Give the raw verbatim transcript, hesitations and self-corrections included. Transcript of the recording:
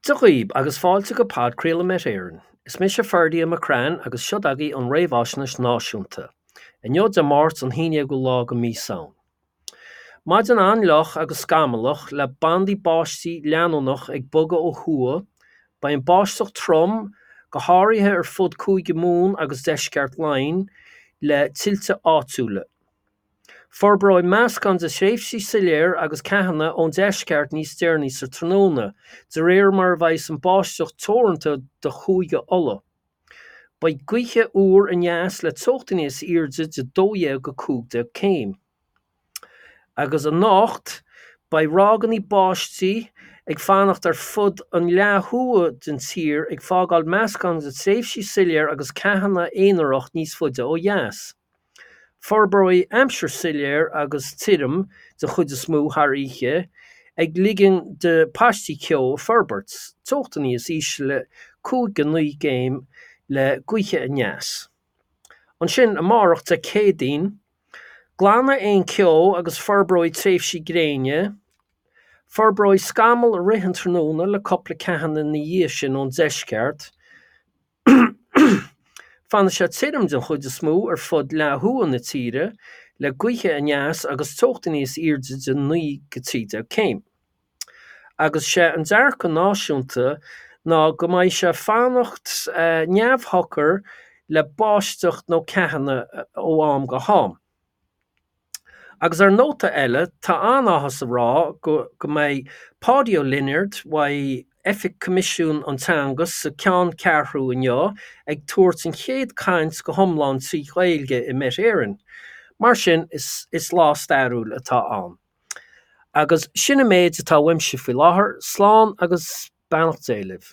Dia dhaoibh agus fáilte go podchraoladh Met Éireann. Is mise Ferdia McCrann agus seo agaibh an réamhaisnéis náisiúnta. Inniu Dé Máirt an haon déagú lá de mhí Samhain. Maidin an-fhliuch agus scamallach le bandaí báistí leanúnach ag bogadh ó thuaidh, beidh an báisteach trom, go háirithe ar fud Cúige Mumhan agus deisceart Laighean, le tuilte áitiúla. Forbróidh meascán de thréimhsí soiléir agus ceathanna ón deisceart níos deireanaí sa tráthnóna, de réir mar a bheidh an báisteach teoranta do Chúige Uladh. Beidh gaotha úr aneas le teochtaí níos airde de dó dhéag go cúig déag céim. Agus anocht, beidh ráigeanna báistí ag fanacht ar fud an leath thuaidh den tír ag fágáil meascán de thréimhsí soiléir agus ceathanna aonarach níos faide ó dheas. Forbróidh aimsir soiléir agus tirim den chuid is mó thar oíche, ag ligean do paistí ceo a forbairt, teochtaí níos ísle cúig go naoi gcéim le gaotha aneas. Ansin amárach Dé Céadaoin, glanfaidh aon cheo agus forbróidh tréimhsí gréine, forbróidh scamaill i rith an tráthnóna le cúpla ceathanna ina dhiaidh sin ón deisceart. Fanfaidh sé tirim den chuid is mó ar fud leath thuaidh na tíre, le gaotha aneas agus teochtaí níos airde de naoi go trí déag céim. Agus sé an dearcadh náisiúnta ná go mbeidh sé fanacht neamhshocair le báisteach nó ceathanna ó am go ham. Agus ar nóta eile, tá an-áthas a rá go go mbeidh Páidí Ó Lionáird uaidh Oifig Coimisiún an Teanga sa ceanncheathrú inniu ag tabhairt an chéad caint go hiomlán trí Ghaeilge i Met Éireann. Mar sin is is lá stairiúil atá ann. Agus sin an méid atá uaimse faoi láthair, slán agus beannacht Dé libh.